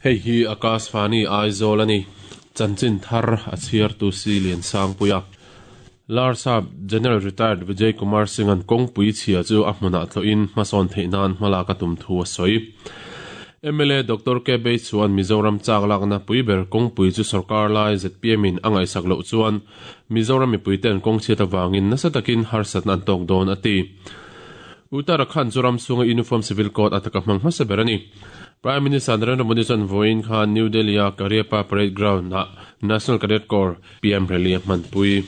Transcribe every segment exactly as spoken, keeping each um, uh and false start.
Hei hi Akashvani Aizawl ani chanchin thar a chhiar tu si lian sang puia Larsap General Retired Vijay Kumar Singh an kawngpui chhia chu a hmunah thlawhin hmasawn theih nan hmala ka tum thu a sawi. M L A Doctor K Bay chuan Mizoram chak lakna puiber kawngpui chu sarkar lai Z P M in a ngaihsak loh chuan Mizoram mipui ten kawng chhiat awangin nasa takin harsatna an tawk dawn a ti. Uttarakhand chu ram chhunga Uniform Civil Code ataka hmang hmasa ber ani. Prime Minister Narendra Modi chuan vawiin khan New Delhi a Kariappa Parade Ground ah National Cadet Corps P M rally a hmanpui.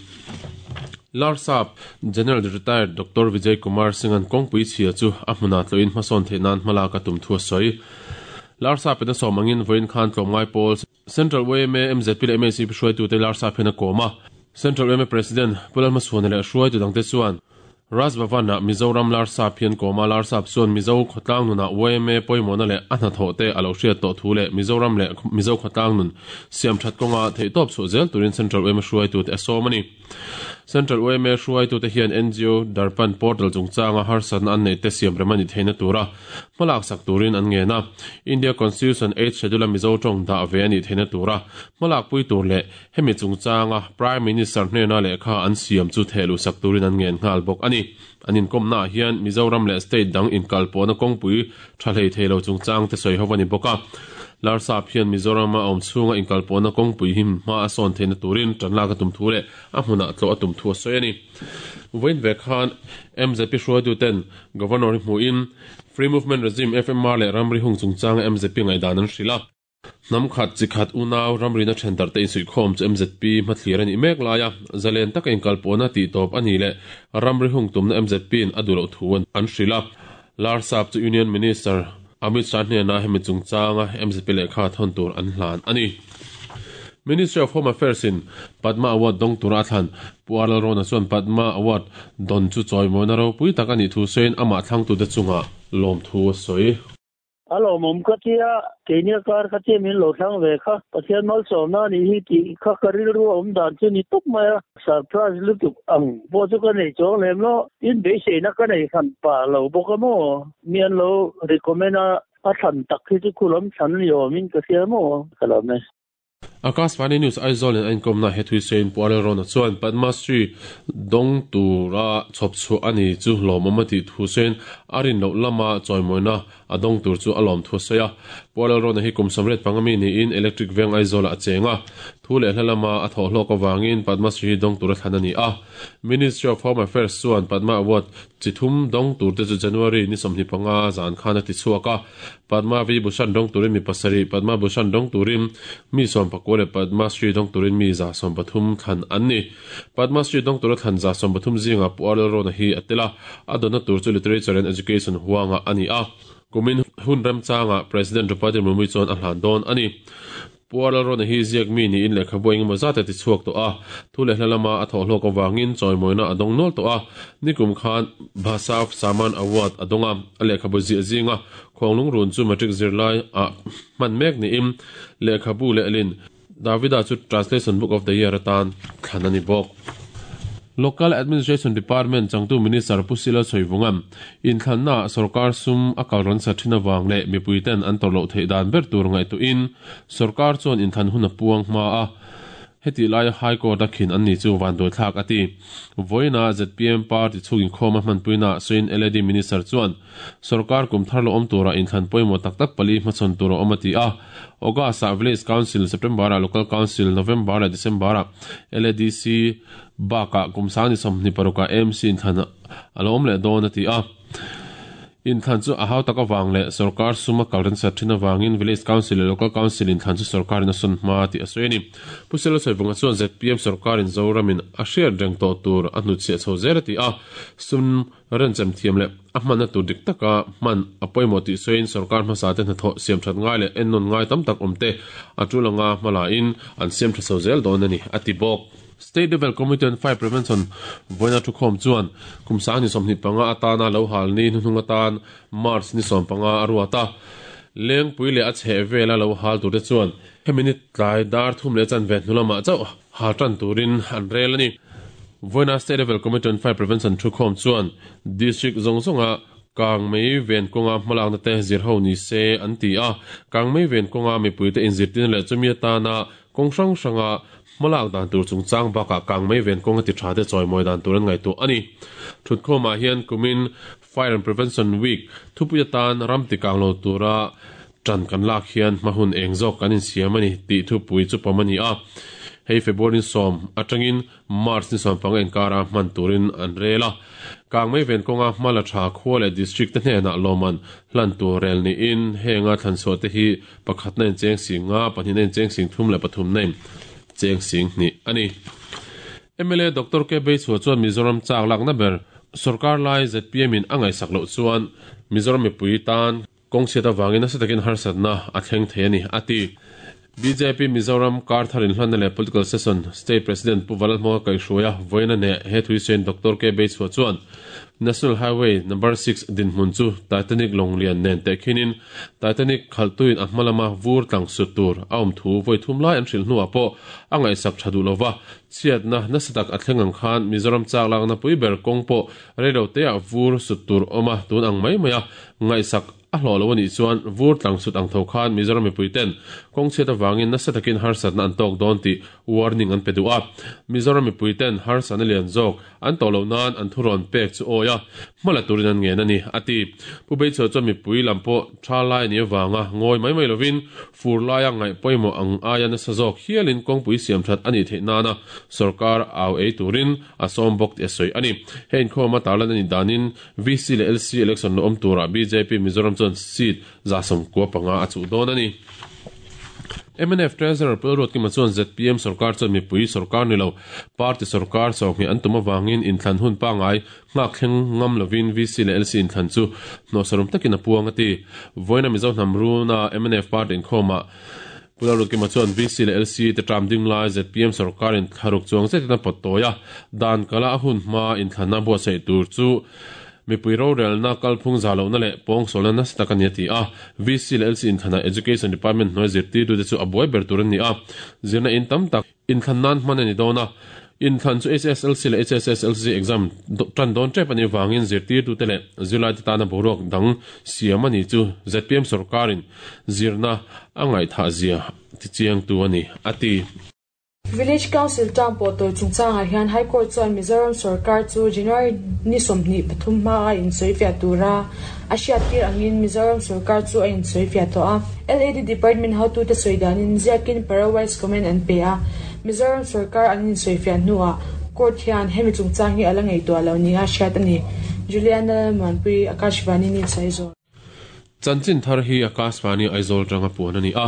Larsap General Retired Doctor Vijay Kumar Singh an kawngpui chhia chu a hmunah thlawhin hmasawn theih nan hmala ka tum thu a sawi. Larsap in a sawmangin vawiin khan tlawmngai pawl Central Y M A M Z P leh M A C P hruaitu te Larsap hian a kawm a. Central Y M A President Pulal Hmasuana leh hruaitu dangte chuan Raj Bhavan ah Mizoram Larsap hian kawm a. Larsap chuan Mizo khawtlang nunah Y M A pawimawhna leh a hnathawh te a lo hriat tawh thu leh Mizoram leh Mizo khawtlang nun siam that kawnga theih tawp chhuah zel turin Central Y M A hruaitu te a sawm ani. Central Y M A hruaitu te hian N G O Darpan Portal chungchanga harsatna an nei te siam rem ani theihna tura hmalak sak turin an ngen a. India Constitution eighth Schedule a Mizo tawng dah ve ani theihna tura hmalak pui tur leh hemi chungchanga Prime Minister hnena lehkha an siam chu thehlu sak turin an ngen nghal bawk ani. An inkawmna ah hian Mizoram leh state dang inkalpawhna kawngpui tha hlei theilo chungchang te sawi ho ani bawk a. Larsap hian Mizoram a awm chhunga inkalpawhna kawngpui him hma a sawn theihna turin tanlak a tum thu leh a hmunah tlawh a tum thu a sawi ani. Vawiin ve khan M Z P hruaitu ten Governor hi hmuhin Free Movement Regime F M R leh ramri hung chungchanga M Z P ngaihdan an hrilh a. Hnam khat chi khat unaw ramrina then te insuihkhawm chu M Z P hmathlir ani mek laia zalen taka inkalpawhna tih tawp ani leh ramri hung tumna M Z P in a duh loh thu an hrilh a. Larsap chu Union Minister Amit Shah hnena hemi chungchanga M Z P lehkha thawn tur an hlan ani. Ministry of Home Affairs in Padma Award dong tura thlan Puaral Rona chuan Padma Award don chu chawimawina ropui tak ani thu sawiin amah thlangtu te chunga lawm thu a sawi. Alo mom ka tia kenia kar ka tia min lo thlang ve kha pathian mal sawmna ni hi ti kha karil ru om dan chu ni tuk maya surprise lutuk ang bo chu ka nei chong lem lo in be se na ka nei khan pa lo bo ka mo mian lo recommend a a than tak hi chu khulam than ni min ka sia mo kala me. Akashvani News Aizawl in an komna hethui sein Puaral Rona chuan Padma Shri dong tura chhop chu ani chu lawmawm a tih thu sawiin a rin loh lama chawimawina a dong tur chu a lawm thu a sawi a. Puaral Rona hi kum samret pangami niin Electric Veng Aizawl ah a cheng a. Thu leh hla lama a thawh hlawk awangin Padma Shri dong tura thlan ani a. Ministry of Home Affairs chuan Padma Award chithum dong tur te chu January ni sawmhnih panga zan khan a ti chhuak a. Padma V Bhushan dong turin mi pasarih, Padma Bhushan dong turin mi sawm pakua leh Padma Shri dong turin mi za sawm pathum thlan an ni. Padma Shri dong tura thlan za sawm pathum zinga Puaral Rona hi a tel a. A dawna tur chu Literature and Education huanga ani a. Kumin hun ramchanga President Draupadi Murmu chuan a hlan dawn ani. Puaral Rona hi ziak mi niin lehkha bu engemaw zat a ti chhuak tawh a. Thu leh hla lama a thawh hlawk awangin chawimawina a dawng nual tawh a. Nikum khan Bhasav Saman Award a dawnga a lehkha bu ziah zinga khawnglung run chu matric zirlai a hman mek niin lehkha bu leh lin Davida chu Translation Book of the Year atan thlan ani bawk. Local Administration Department changtu Minister Pusila Soivungam in thlanna sarkar sum akal ron sa thina wang le mipuiten an torlo thei dan ber tur ngai tu in sarkar chuan in than hun a puang hma a. Heti lai High Court a khin an ni chu van doi thlak ati. Voina Z P M party chungin khawm a hmanpuina sawiin L A D Minister chuan sarkar kum thar lo awm tura in thlan pawimawh tak tak pali hmachhawn tur a awm a ti a. August ah Village Council, September ah Local Council, November leh December ah L A D C bakah kum sang ni sawmhnih parukah M C in thlan a lo awm leh dawn a ti a. In thlan chu a hau tak awang leh sarkar suma kalren sat thin awangin Village Council leh Local Council in thlan chu sarkar in a sawn hma tih a sawi ani. Pusela Soivunga chuan Z P M sarkar in Zoramin a hriat reng tawh tur a hnutchhiah chho zel a ti a. Sum renchem thiam leh a hmanna tur dik taka hman a pawimawh tih sawiin sarkar hmasa te hnathawh siam that ngai leh ennawn ngai tam tak awm te a tulanga hmala in an siam tha chho zel dawn ani a ti bawk. State Level Committee on Fire Prevention voina thu khawm chuan kum sang ni sawmhnih panga atana lo hal ni hnuhnung atan March ni sawm panga a ruat a. Lengpui leh a chheh vela lo hal tur te chuan hemi ni tlai dar thum leh chan ve hnu lamah chauh hal tan turin an rel ani. Voina State Level Committee on Fire Prevention thu khawm chuan district zawng zawnga Kang mei ven konga hmalak na te zir ho ni se an ti a kang mei ven konga mipui te inzirtin le chumi atana kong hrang hranga hmalak dan tur chungchang bakah kang mei ven konga ti tha te chawimawi dan tur an ngaihtuah ani thutkhawmah hian kumin Fire and Prevention Week thupui atan ram ti kang lo tura tran kan lak hian hmahun eng zawk kan insiam ani tih thupui chu pawm ani a hei February som atangin March ni som panga inkara hman turin an rel a kang mei ven konga hmala tha khua leh district te hnenah lawman hlan tur rel niin henga thlanchhuah te hi pakhat na in cheng sing nga pahnih na in cheng sing thum leh pathum na in cheng sing hnih ani M L A Doctor K Beichhua chuan Mizoram chak lakna ber sarkar lai Z P M in a ngaihsak loh chuan Mizoram mipui tan kawng chhiat avangin nasa takin harsatna a thleng thei ani ati B J P Mizoram kar tharin hlanna leh political session state president Pu Valalhmawka kaihhruaia vawiina ne he thuisen Doctor K Beichhua chuan National Highway number six dinhmun chu Titanic Longlian nen te khinin Titanic khaltuin a hmalama vur tlang sut tur a awm thu vawi thum lai an hrilh hnuah pawh a ngaihsak tha duh lova chhiatna nasa tak a thleng ang khan Mizoram chak lakna pui ber kawng pawh reilo te ah vur sut tur awm a tun ang mai mai a ngaihsak a hlawh lo ani chuan vur tlang sut ang tho khan Mizoram mipui ten kawng chhiat awangin nasa takin harsatna an tawk dawn tih warning an pe duh a Mizoram mipui ten harsatna lian zawk an tawh loh nan an thurawn pek chu awi a hmala turin an ngen ani ati Pu Beichhua chuan mipui lam pawh tha lai ni awanga ngawi mai mai lovin fur laia ngaih pawimawh ang aia nasa zawk hialin kawngpui siam that ani theih nana sarkar au ei turin a sawm bawk tih a sawi ani hei inkhawm a tarlan ani danin V C leh L C election lo awm turah B J P Mizoram chuan seat za sawmkua panga a chuh dawn ani M N F Treasurer Pulruat Kima chuan Z P M sarkar chuan mipui sarkar ni lo party sarkar sawhni an tum awangin inthlan hun pangai nghak thleng ngam lovin V C leh L C inthlan chu hnawhsarum takin a puang ati vawiina Mizo hnam runa M N F party inkhawmah Pulruat Kima chuan V C leh L C te tram ding lai Z P M sarkar in thlaruk chuang zetin a pawt tawi a dan kala a hun hma inthlanna buatsaih tur chu mipui rorelna kalphung zalona leh pawng sawlna nasa tak ani ati a V C leh L C inthlanah Education Department hnuai zirtirtu te chu a buai ber tur ani a zirna in tam tak inthlan nan hman ani dawn a inthlan chu H S L C leh H S S L C exam tan dawn tep ani wangin zirtirtu te leh zirlai te tana boruak dang siam ani chu Z P M sarkarin zirna a ngaihthah zia ti chiang tu ani ati Village Council term pawh tawi chungchangah hian High Court chuan Mizoram sarkar chu January ni sawmhnih pathum hma a insawifiah tura a hriat tir angin Mizoram sarkar chu a insawifiah tawh a L A D Department hotu te sawi danin ziakin para-wise comment an pe a Mizoram sarkar an insawifiah hnuah court hian hemi chungchang hi ala ngaihtuah lo ni a hriat ani Juliana Manpui Akashvani News Aizawl Chanchin thar hi Akashvani Aizawl tanga puan ani a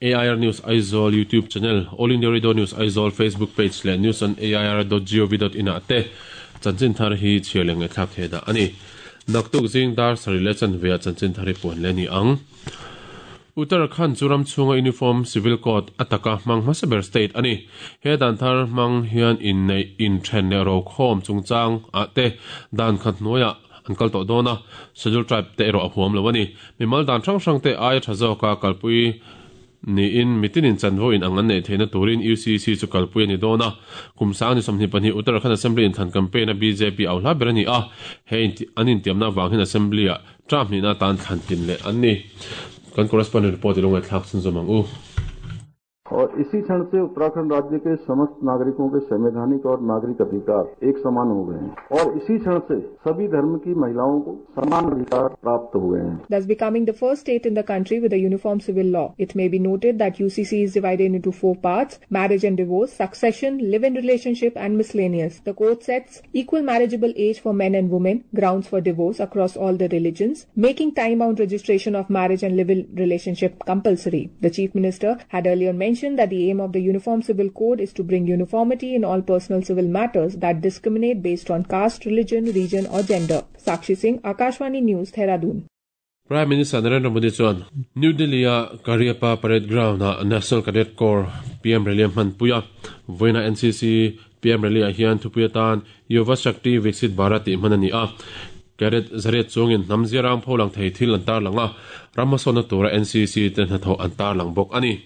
A I R News Aizawl YouTube channel, All India Radio News Aizawl Facebook page le news on A I R dot gov dot in a te chanchin thar hi chialeng e thlak theda ani naktuk zing dar sari le chan vea chanchin thari puan le ni ang Uttarakhand churam chunga uniform civil code ataka mang hmasaber state ani he dan thar mang hian in nei in then le ro khom chungchang a te dan khat noya an kal to dona schedule tribe te ero a huam lo ani mimal dan thang hrang te ai thazoka kalpui ni in mitinin chanvo in ang an nei theina turin U C C chu kalpui ani dona kumsang ni somhni pahnih Uttarakhand Assembly in than campaign a B J P au hla ber ani a hei an intiamna wang hin assembly a tram ni na tan thlan tin le an ni kan correspondent report ilonga thlak chun zomang u और इसी क्षण से उत्तराखंड राज्य के समस्त नागरिकों के संवैधानिक और नागरिक अधिकार एक समान हो गए हैं और इसी क्षण से सभी धर्म की महिलाओं को समान अधिकार प्राप्त हो गए हैं। Thus becoming the first state in the country with a uniform civil law. It may be noted that U C C is divided into four parts: marriage and divorce, succession, live-in relationship and miscellaneous. The court sets equal marriageable age for men and women, grounds for divorce across all the religions, making time-bound registration of marriage and live-in relationship compulsory. The Chief Minister had earlier mentioned that the aim of the Uniform Civil Code is to bring uniformity in all personal civil matters that discriminate based on caste, religion, region or gender. Sakshi Singh, Akashvani News, Dehradun. Prime Minister Narendra Modi chuan New Delhi a Kariappa Parade Ground a National Cadet Corps P M Rally hmanpuia vawiina N C C P M Rally ah hian thupuia tan Yuva Shakti Viksit Bharat tih hman ani a Cadet zariat chungin hnam ziarang pholang thei thil an tar langa ramhmasawna tura N C C te hnathawh an tar lang bawk ani.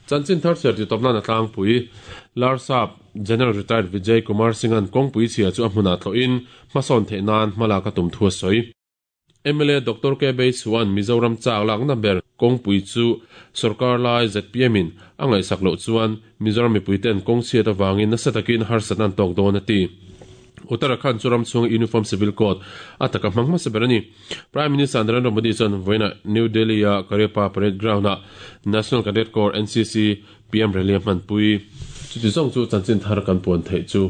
Chanchin thar ser ti topna na tlang pui Larsap General Retired Vijay Kumar Singh an kawngpui chhia chu a hmunah thlawhin hmasawn theih nan hmala ka tum thu a sawi. M L A Doctor K Bay chuan Mizoram chak lak na ber kawngpui chu sarkar lai Z P M in a ngaihsak loh chuan Mizoram mipuiten kawng chhiat awangin nasa takin harsatna an tawk dawn a ti. Uttarakhand chu ram chhung Uniform Civil Code ataka hmang hmasa ber ani. Prime Minister Narendra Modi chuan vawiina New Delhi a Cariappa Parade Ground a National Cadet Corps N C C P M rally a hmanpui. Chuti zawng chu chanchin thar kan puan theih chu.